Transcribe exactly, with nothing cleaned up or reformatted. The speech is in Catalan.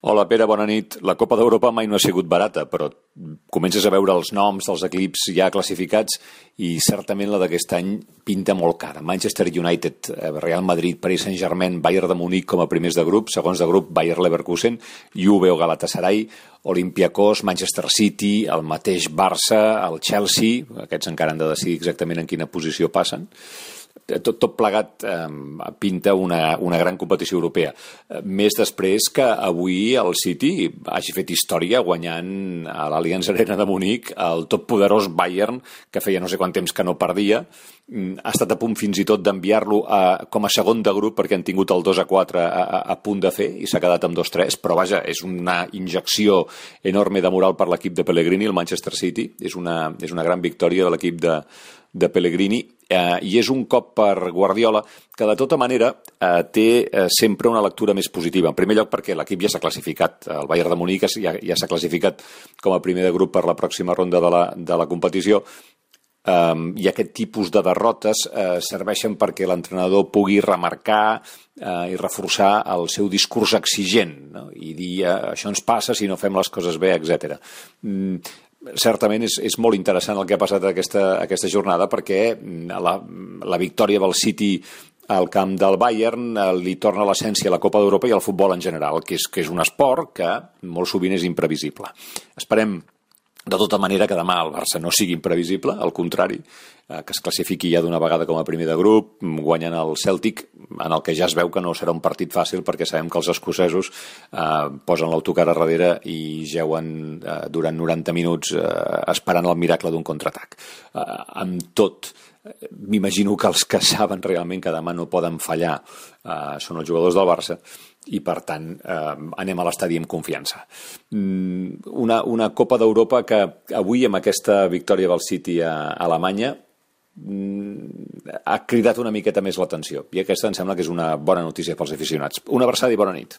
Hola Pere, bona nit. La Copa d'Europa mai no ha sigut barata, però comences a veure els noms dels equips ja classificats i certament la d'aquest any pinta molt cara. Manchester United, Real Madrid, Paris Saint-Germain, Bayern de Munic com a primers de grup, segons de grup Bayer Leverkusen, Juve o Galatasaray, Olympiacos, Manchester City, el mateix Barça, el Chelsea, aquests encara han de decidir exactament en quina posició passen. Tot, tot plegat eh, pinta una, una gran competició europea. Eh, més després que avui el City hagi fet història guanyant a l'Allianz Arena de Munic el totpoderós Bayern, que feia no sé quant temps que no perdia. Ha estat a punt fins i tot d'enviar-lo a, com a segon de grup perquè han tingut el dos a quatre a, a, a punt de fer i s'ha quedat amb dos tres, però vaja, és una injecció enorme de moral per l'equip de Pellegrini, el Manchester City. És una, és una gran victòria de l'equip de, de Pellegrini. Eh, i és un cop per Guardiola que de tota manera eh, té eh, sempre una lectura més positiva. En primer lloc perquè l'equip ja s'ha classificat, el Bayern de Munic ja, ja s'ha classificat com a primer de grup per la pròxima ronda de la, de la competició. Um, i aquest tipus de derrotes uh, serveixen perquè l'entrenador pugui remarcar uh, i reforçar el seu discurs exigent, no? I dir uh, això ens passa si no fem les coses bé, etcètera. Mm, certament és, és molt interessant el que ha passat aquesta, aquesta jornada perquè la, la victòria del City al camp del Bayern uh, li torna l'essència a la Copa d'Europa i al futbol en general, que és, que és un esport que molt sovint és imprevisible. Esperem de tota manera que demà el Barça no sigui imprevisible, al contrari, eh, que es classifiqui ja d'una vegada com a primer de grup, guanyant el Celtic, en el que ja es veu que no serà un partit fàcil perquè sabem que els escocesos eh, posen l'autocar a darrere i jeuen eh, durant noranta minuts eh, esperant el miracle d'un contraatac. Eh, amb tot, m'imagino que els que saben realment que demà no poden fallar eh, són els jugadors del Barça i per tant eh, anem a l'estadi amb confiança. Una, una Copa d'Europa que avui amb aquesta victòria del City a, a Alemanya ha cridat una miqueta més l'atenció i aquesta em sembla que és una bona notícia pels aficionats. Una abraçada i bona nit.